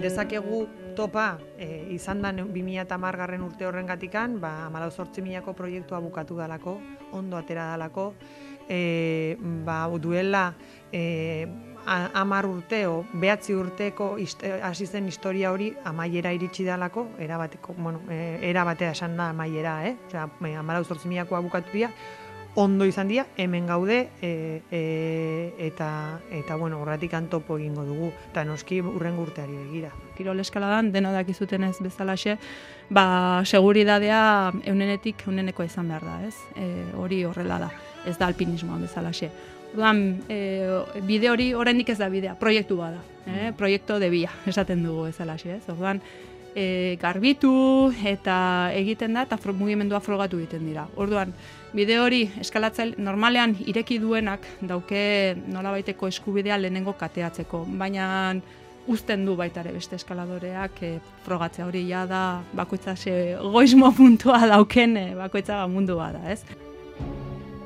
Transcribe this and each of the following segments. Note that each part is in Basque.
Dezakegu topa izan da 2010 urte horrengatikan, 14.000ko proiektua bukatu dalako, ondo atera dalako, duela 10 urte o 9 urteko hasi zen historia hori amaiera iritsi dalako, era batera esan da amaiera, osea 14.000koa bukatu dira, ondo izan dira, hemen gaude, eta horretik topo egingo dugu, eta noski hurrengo urteari begira. Kirol eskaladan, dena dakizuten ez bezalaxe, seguridadea eunenekoa izan behar da, ez? Hori horrela da, ez da alpinismoan bezalaxe. Orduan, bide hori oraindik ez da bidea, proiektu bada, proiektu de via, esaten dugu bezalaxe, ez? Orduan, garbitu eta egiten da, eta mugimendua frogatu egiten dira. Orduan, bide hori eskalatzaile normalean ireki duenak dauke nolabaiteko eskubidea lehenengo kateatzeko, baina uzten du baita ere beste eskaladoreak frogatzea hori ja da bakoitza goizmo puntua dauken bakoitza mundu bada, ez?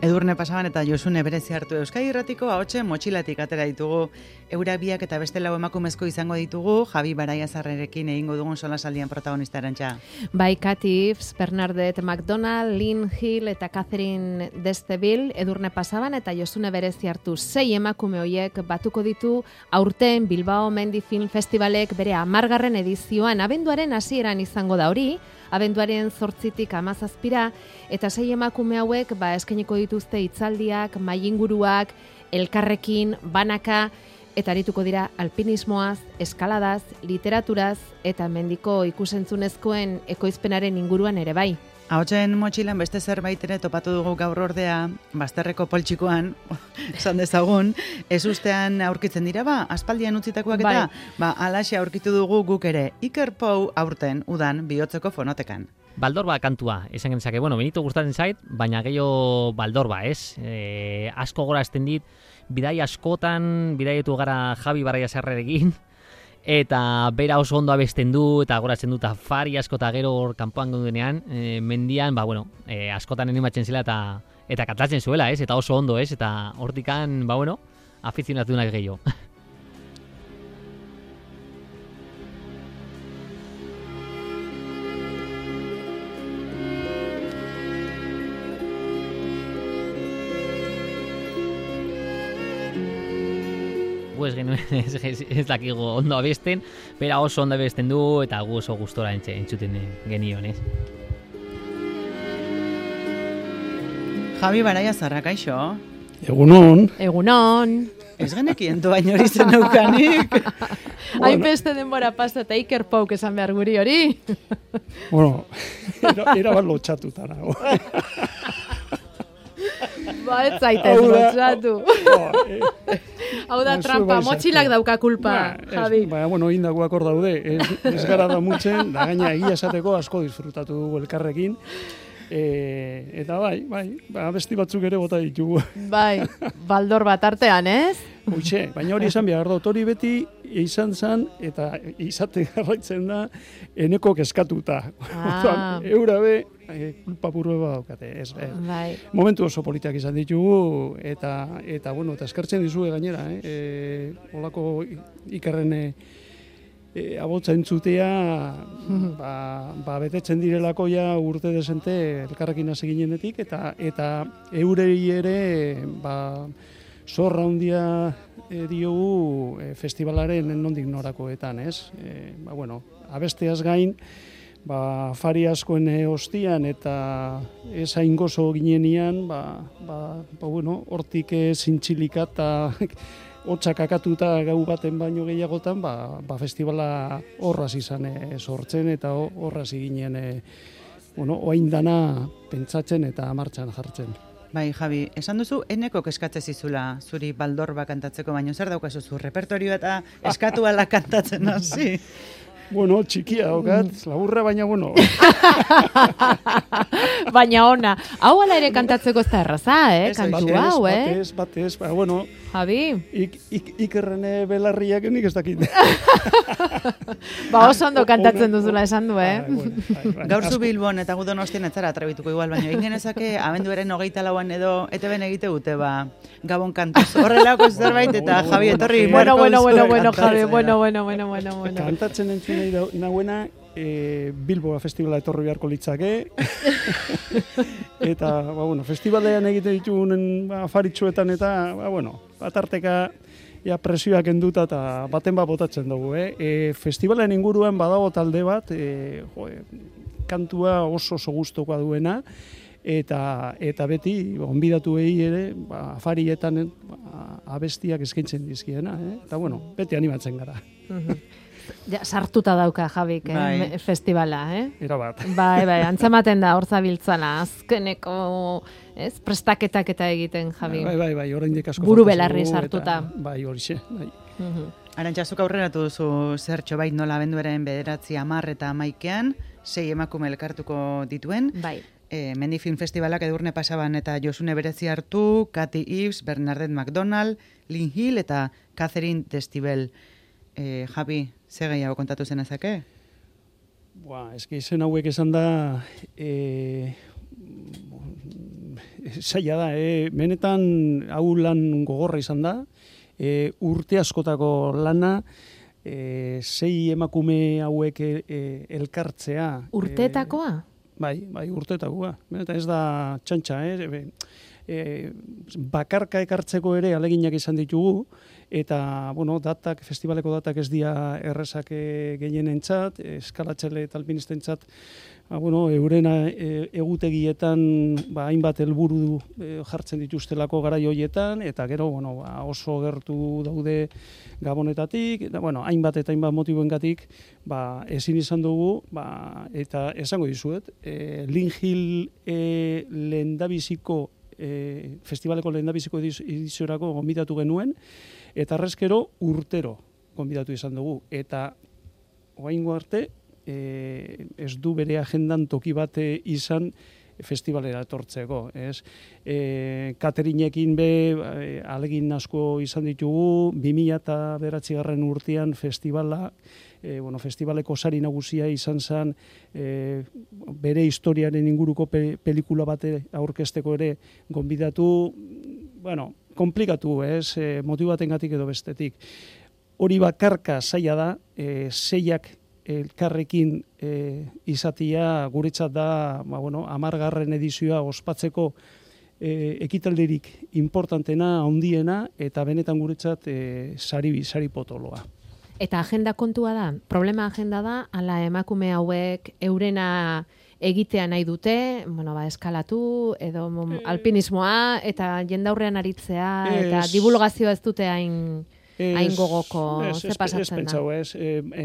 Edurne Pasaban eta Josune berezi hartu Euskadi Irratiko ahotsen motxilatik atera ditugu. Eura biak eta beste lau emakumezko izango ditugu, Javi Baraiazarrerekin egingo dugun solasaldian protagonista erantza. Bai, Katy Ives, Bernadette McDonald, Lynn Hill eta Catherine Desteville, Edurne Pasaban eta Josune berezi hartu 6 emakume hoiek batuko ditu aurten Bilbao Mendi Film Festivalek bere 10. edizioan abenduaren hasieran izango da hori, abenduaren 8tik 17ra, eta 6 emakume hauek eskainiko dituzte hitzaldiak, mailinguruak, elkarrekin, banaka, eta arituko dira alpinismoaz, eskaladaz, literaturaz, eta mendiko ikusentzunezkoen ekoizpenaren inguruan ere bai. Ahotsen motxilan beste zerbait ere topatu dugu gaur ordea, bazterreko poltsikoan, esan dezagun, ez ustean aurkitzen dira, aspaldian utzitakoak eta, alaxe aurkitu dugu guk ere, Iker Pou aurten udan bihotzeko fonotekan. Baldorba kantua, esan genezake, Benito gustatzen zait, baina gehiago Baldorba, ez? Asko gorazten dit, bidai askotan, bidaietu gara Javi Baraiazarrerekin, eta bera oso ondo abesten du, eta goratzen du, eta fari asko eta gero hor kanpoan gonduenean, mendian, askotan animatzen zela eta katlatzen zuela, ez? Eta oso ondo, ez? Eta hortikan, afizionatunak gehiago. Ez dakigo ondo abesten, bera oso ondo abesten du eta gu oso gustora entzuten genion, ez? Javi Baraiazarra, kaixo? Egunon. Egunon. Ez genekien doain hori zen daukanik. Hainbeste denbora pasa eta Iker Pouk esan behar guri hori. Era bat lotxatuta nago. Ez zaitez lotxatu. Hau da trampa, motxilak dauka kulpa, Javi. Indagoak hor daude, ez gara da mutzen, da gaina egia esateko asko disfrutatu dugu elkarrekin. Eta besti batzuk ere bota ditugu. Bai, Baldor bat artean, ez? Hoxe, baina hori esan behar dut, hori beti izan zen, eta izate garraitzen da, eneko keskatuta. Eura be, kulpa burua daukate, ez. Momentu oso politak izan ditugu, eta eskertzen dizue gainera, holako Ikerren abotza entzutea, betetzen direlako ja urte desente elkarrekin hasi ginenetik, eta eurei ere, zorra handia diogu festivalaren nondik norakoetan, ez? Abesteaz gain, fari askoen ostian eta ez hain gozo ginenian, hortik zintxilika eta hotxak akatuta gau baten baino gehiagotan, festivala horraz izan sortzen eta horraz ginen oain dana pentsatzen eta martxan jartzen. Bai, Javi, esan duzu, eneko eskatze zizula zuri Baldorba kantatzeko, baino zer daukazu zu repertorioa eta eskatu ala kantatzen hasi? Txikia daukat, laburra, baina Baina ona, hau ala ere kantatzeko ez da erraza, kantu hau, Batez, bueno. Javi. Ikerrene belarriak nik ez dakit. Oso ondo kantatzen duzula esan du, Gaur zu Bilbon eta gu Donostian ez zara atrabituko igual, baina egin genezake abenduaren 24an edo ETBn egite dute, Gabon kantuz. Horrelako zerbait eta Javi etorri. Bueno, Javi, bueno. Kantatzen entzun nahuena, Bilboa festivala etorri beharko litzake. Eta, festivalean egite ditugunen afaritxuetan eta, atarteka presioak enduta eta baten botatzen dugu. Festivalen inguruan badago talde bat, kantua oso gustukoa duena, eta beti, onbidatu ere, afarietan abestiak eskaintzen dizkiena. Eta, beti animatzen gara. Ja, sartuta dauka Javik festivala, Era bat. Bai, antzematen da, hor zabiltzala, azkeneko prestaketak eta egiten, Javi. Bai, oraindik asko. Buru belarri sartuta. Bai, horixe, bai. Arantxazuk aurreratu duzu zertxo nola abenduaren 9, 10 eta 11ean, 6 emakume elkartuko dituen. Bai. Mendi Film Festivalak Edurne pasaban eta Josune Berezi hartu, Kathy Ives, Bernadette McDonald, Lynn Hill eta Catherine Destivell. Javi, ze gehiago kontatu zenezake? Eski izen hauek esan da, zaila da, benetan hau lan gogorra izan da, urte askotako lana, 6 emakume hauek elkartzea. Urteetakoa? Bai, urteetakoa. Eta ez da txantxa, bakarka ekartzeko ere aleginak izan ditugu, eta, festivaleko datak ez dira errezak gehienentzat, eskalatxele eta alpinistentzat, euren egutegietan hainbat helburu jartzen dituztelako garai hoietan, eta gero, oso gertu daude Gabonetatik, eta, hainbat eta hainbat motiboengatik, ezin izan dugu, eta esango dizuet, Lynn Hill lehendabiziko festivaleko lehendabiziko ediziorako gonbidatu genuen, eta arrezkero urtero gonbidatu izan dugu. Eta oraingo arte ez du bere agendan toki bat izan festivalera etortzeko. Caterinekin alegin asko izan ditugu, 2009 urtean festivala, festivaleko sari nagusia izan zen bere historiaren inguruko pelikula bate aurkezteko ere gonbidatu, komplikatu, motibatengatik edo bestetik. Hori bakarka zaila da, seiak elkarrekin izatia guretzat da, 10. edizioa ospatzeko ekitaldirik importantena, handiena, eta benetan guretzat sari potoloa. Eta agenda kontua da, problema agenda da, ala emakume hauek eurena egitea nahi dute, eskalatu, edo alpinismoa, eta jendaurrean aritzea, eta divulgazioa ez dute hain gogoko, ze pasatzen da?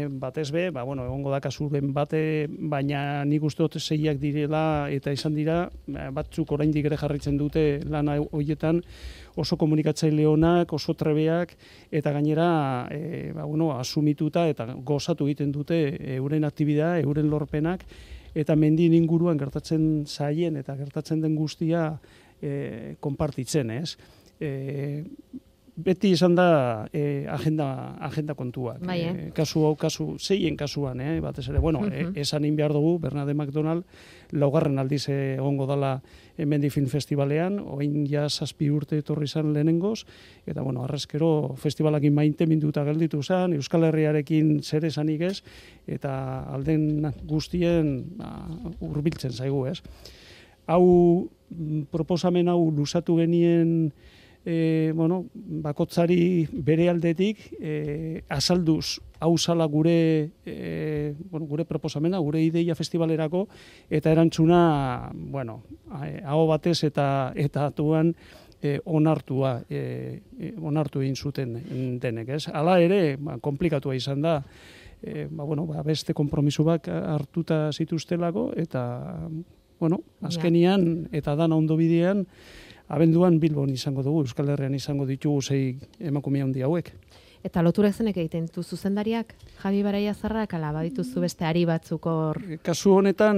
Batez be, egongo da kasuren bate, baina nik uste dut seiak direla, eta izan dira, batzuk oraindik ere jarritzen dute lana horietan, oso komunikatzaile onak, oso trebeak, eta gainera asumituta eta gozatu egiten dute euren aktibidad, euren lorpenak, eta mendien inguruan gertatzen zaien eta gertatzen den guztia konpartitzen, ez? Beti izan da agenda kontuak. Kasu seien kasuan, batez ere. Esan egin behar dugu, Bernadette McDonald, 4. aldiz egongo dala Mendi Film Festivalean, oin ja 7 urte etorri izan lehenengoz, eta arrezkero festivalakin maite minduta gelditu zen, Euskal Herriarekin zer esanik ez, eta alden guztien hurbiltzen zaigu, ez. Hau, proposamen hau luzatu genien bakotzari bere aldetik azalduz hau zala gure proposamena, gure ideia festivalerako, eta erantzuna, hau batez eta atuan onartu egin zuten denek, ez? Hala ere, komplikatua izan da, beste konpromisoak hartuta zituztelako, eta, azkenian, eta dana ondo bidean, abenduan Bilbon izango dugu, Euskal Herrian izango ditugu 6 emakume handi hauek. Eta loturek zenek egiten ditu zuzendariak, Javi Baraiazarrak, ala badituzu beste ari batzuk hor? Kasu honetan,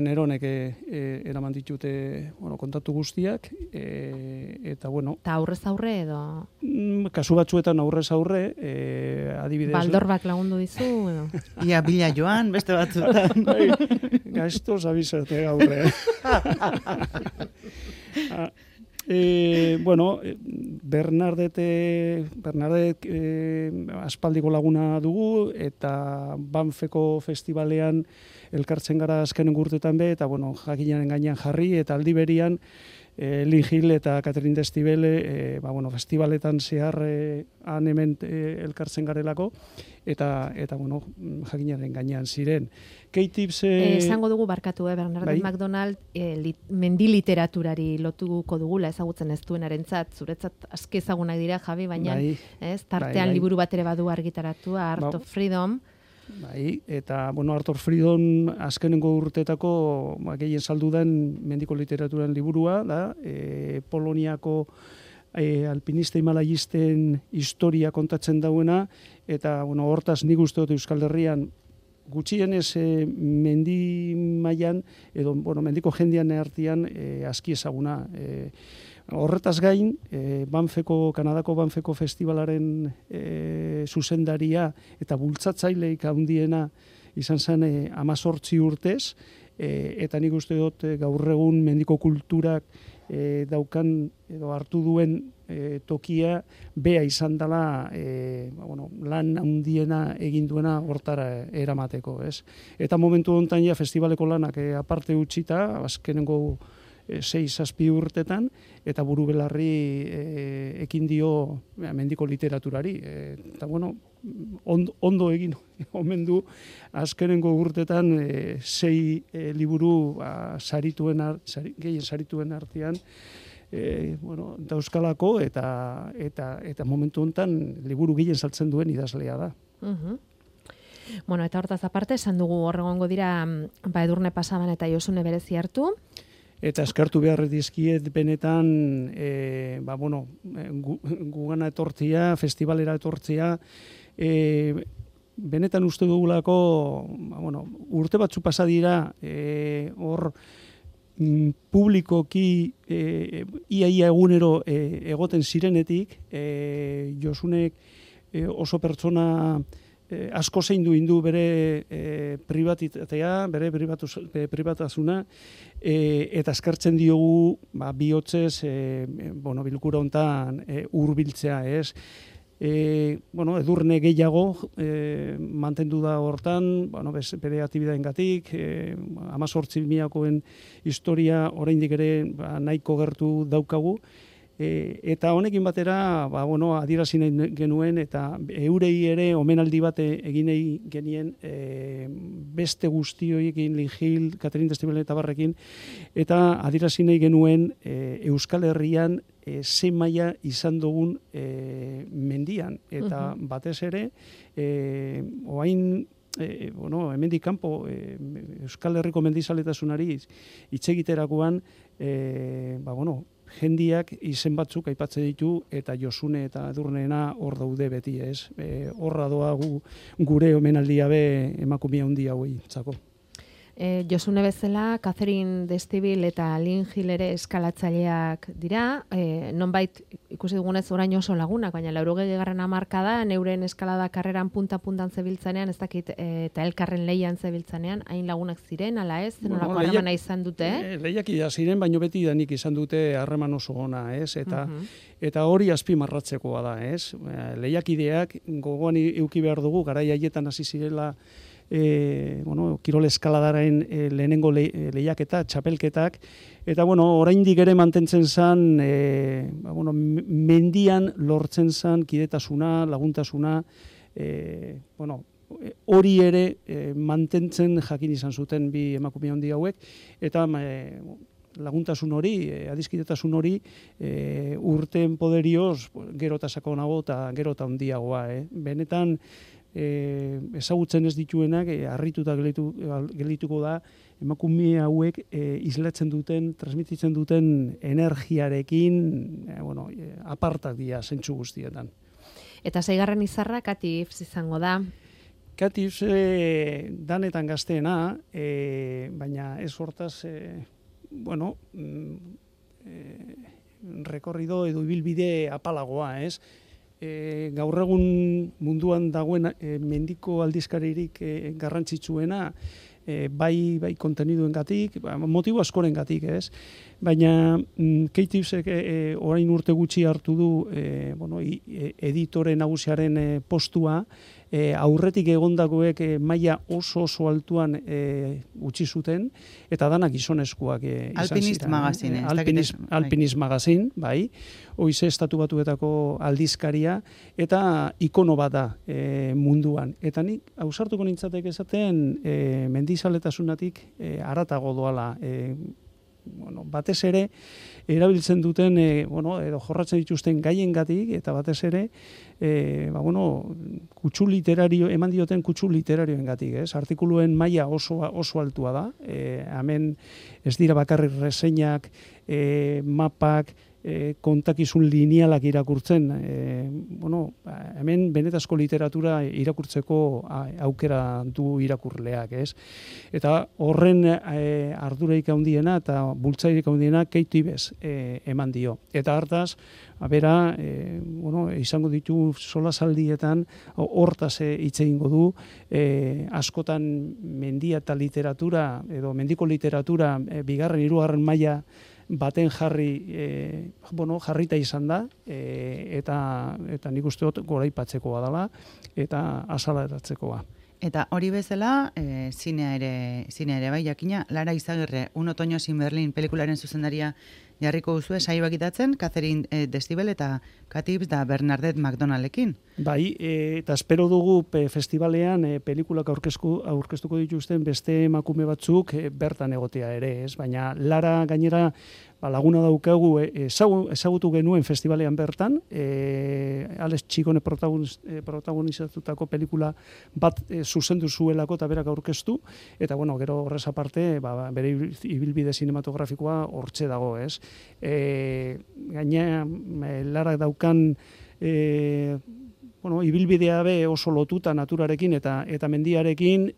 Neronek eraman ditute kontatu guztiak, eta bueno... Eta aurrez aurre edo? Kasu batzuetan aurrez aurre, adibidez... Baldorbak lagundu dizu edo? Ia bila joan, beste batzuetan. Gaiztoz abizate aurre. Bernardet aspaldiko laguna dugu, eta Banfeko festivalean elkartzen gara azkenen urtetan be, eta jakinaren gainean jarri, eta aldi berian Lynn Hill eta Catherine Destivele festivaletan zehar han hemen elkartzen garelako, eta jakinaren gainean ziren. K-Tips... Esango dugu barkatu, Bernardet McDonald mendi literaturari lotuko dugula ezagutzen ez duenarentzat, zuretzat aski ezagunak dira, Javi, baina tartean liburu bat ere badu argitaratua, Art of Freedom. Eta, Art of Freedom azkenengo urteetako gehien saldu den mendiko literaturan liburua, da, Poloniako alpinista himalayisten historia kontatzen dauena, eta, hortaz nik uste dut Euskal Herrian gutxienez mendi mailan edo mendiko jendean artean aski ezaguna. Horretaz gain, Kanadako Banfeko festivalaren zuzendaria eta bultzatzaileik handiena izan zen 18 urtez, eta nik uste dut gaur egun mendiko kulturak daukan edo hartu duen tokia bea izan dela lan handiena egin duena hortara eramateko, ez? Eta momentu honetan ja festivaleko lanak aparte utzita, azkenengo 6-7 urtetan, eta buru belarri ekin dio mendiko literaturari. Eta ondo egin omen du azkenengo urtetan 6 liburu gehien sarituen artean dauzkalako, eta momentu honetan liburu gehien saltzen duen idazlea da. Eta hortaz aparte, esan dugu horregongo dira Edurne Pasaban eta Josune berezi hartu. Eta eskartu behar dizkiet benetan, gugana etortzea, festivalera etortzea, benetan uste dugulako, urte batzu pasa dira, hor publikoki ia egunero egoten zirenetik, Josunek oso pertsona asko zeindu indu bere pribatitatea, bere pribatasuna, eta eskartzen diogu bihotzez bilkura hontan hurbiltzea, ez? Edurne gehiago mantendu da hortan, bere aktibidadengatik, 18.000koen historia oraindik ere nahiko gertu daukagu, eta honekin batera adierazi nahi genuen, eta eurei ere omenaldi bat egin nahi genien beste guztioekin, Lynn Hill, Catherine Destivele eta barrekin, eta adierazi nahi genuen Euskal Herrian zein maila izan dugun mendian, eta batez ere orain hemendik kanpo Euskal Herriko mendizaletasunari hitz egiterakoan jendiak izen batzuk aipatzen ditu, eta Josune eta Edurneena hor daude beti, ez? Horra doa gure omenaldia be emakumea handi hauei txako. Josune bezala, Catherine Destivele eta Lynn Hill ere eskalatzaileak dira, nonbait ikusi dugunez orain oso lagunak, baina 80. hamarkadan euren eskalada karreran punta-puntan zebiltzanean, ez dakit, eta elkarren leian zebiltzanean, hain lagunak ziren, ala ez? Nolako harremana izan dute? Lehiakia ziren, baino beti danik izan dute harreman oso ona, ez? Eta hori azpimarratzekoa da, ez? Lehiakideak gogoan eduki behar dugu, garai haietan hasi zirela kirol eskaladaren lehenengo lehiaketa, txapelketak, eta oraindik ere mantentzen zen, mendian lortzen zen kidetasuna, laguntasuna, hori ere mantentzen jakin izan zuten bi emakume handi hauek, eta laguntasun hori, adiskidetasun hori, urteen poderioz gero eta sakonago eta gero eta handiagoa. Benetan, ezagutzen ez dituenak, harrituta geldituko da, emakume hauek islatzen duten, transmititzen duten energiarekin, apartak dira zentsu guztietan. Eta 6. izarra Katy Ives izango da. Katy Ives danetan gazteena, baina ez hortaz, rekorrido edo ibilbide apalagoa, ez? Gaur egun munduan dagoen mendiko aldizkaririk garrantzitsuena, bai konteniduengatik, motibo askorengatik, ez? Baina Katy Ivesek orain urte gutxi hartu du editore nagusiaren postua, aurretik egondakoek maila oso altuan utzi zuten, eta danak gizonezkoak izan ziren. Alpinist magazin, bai, hoize Estatu Batuetako aldizkaria, eta ikono bat da munduan. Eta nik ausartuko nintzatek esaten mendizaletasunatik haratago doala, batez ere erabiltzen duten edo jorratzen dituzten gaiengatik, eta batez ere kutsu literario, eman dioten kutsu literarioengatik, ez? Artikuluen maila oso altua da. Hemen ez dira bakarrik reseinak, mapak, kontakizun linealak irakurtzen, hemen benetazko literatura irakurtzeko aukera du irakurleak, ez? Eta horren arduraik handiena eta bultzairik handiena Katy Ives eman dio. Eta hartaz, bera, izango ditu solasaldietan hortaz hitz egingo du, askotan mendia eta literatura, edo mendiko literatura, 2., 3. maila baten jarrita izan da, eta nik uste dut goraipatzekoa dela, eta azalaratzekoa. Eta hori bezala, zinea ere bai, jakina, Lara Izagirre, Un otoño sin Berlin pelikularen zuzendaria jarriko duzu saioak itatzen, Catherine Desibel eta Katy Ives da Bernadette McDonaldekin. Bai, eta espero dugu festivalean pelikulak aurkeztuko dituzten beste emakume batzuk bertan egotea ere, ez? Baina Lara gainera laguna daukagu ezagutu genuen festivalean bertan, Alex Txikone protagonizatutako pelikula bat zuzendu zuelako eta berak aurkeztu, eta gero horrez aparte, bere ibilbide sinematografikoa hortxe dago, ez? Gainera, Lara daukan ibilbidea be oso lotuta naturarekin eta mendiarekin,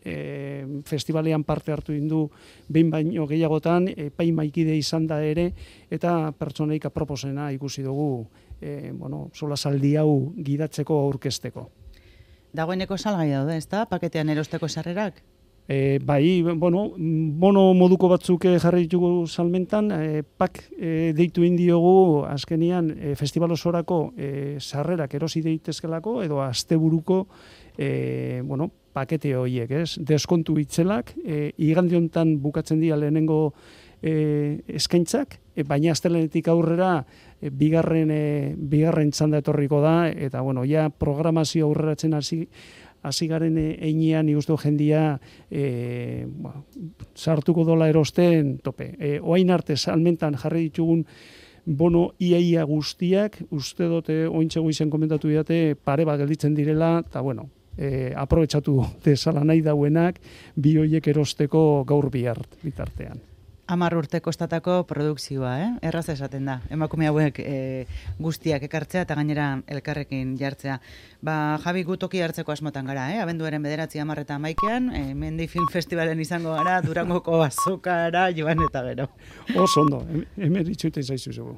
festivalean parte hartu du behin baino gehiagotan, epaimaikide izan da ere, eta pertsoneik aproposena ikusi dugu solasaldi hau gidatzeko aurkezteko. Dagoeneko salgai daude, ezta? Paketean erosteko sarrerak? Bai, bono moduko batzuk jarri ditugu salmentan, pak deitu indiogu azkenian festival osorako sarrerak erosi daitezkelako edo asteburuko pakete horiek, ez? Deskontu itzelak, igande hontan bukatzen dira lehenengo eskaintzak, baina astelehenetik aurrera bigarren txanda etorriko da, eta ja programazio aurreratzen hasi garen einean ikustu jendia sartuko dola erosten tope. Oain arte salmentan jarri ditugun bono iaia guztiak, uste dute ointxe goizen komentatu didate pare bat gelditzen direla, eta aprobetxatu dezala nahi dauenak bi hoiek erosteko gaur bitartean. 10 urte kostatako produkzioa, erraz esaten da. Emakume hauek guztiak ekartzea eta gainera elkarrekin jartzea. Javi, gu toki hartzeko asmotan gara, abenduaren 9, 10 eta 11, Mendi Film Festivalen izango gara, Durangoko azokara, joan eta gero. Oso ondo, hemen itxuiten zaizu zugu.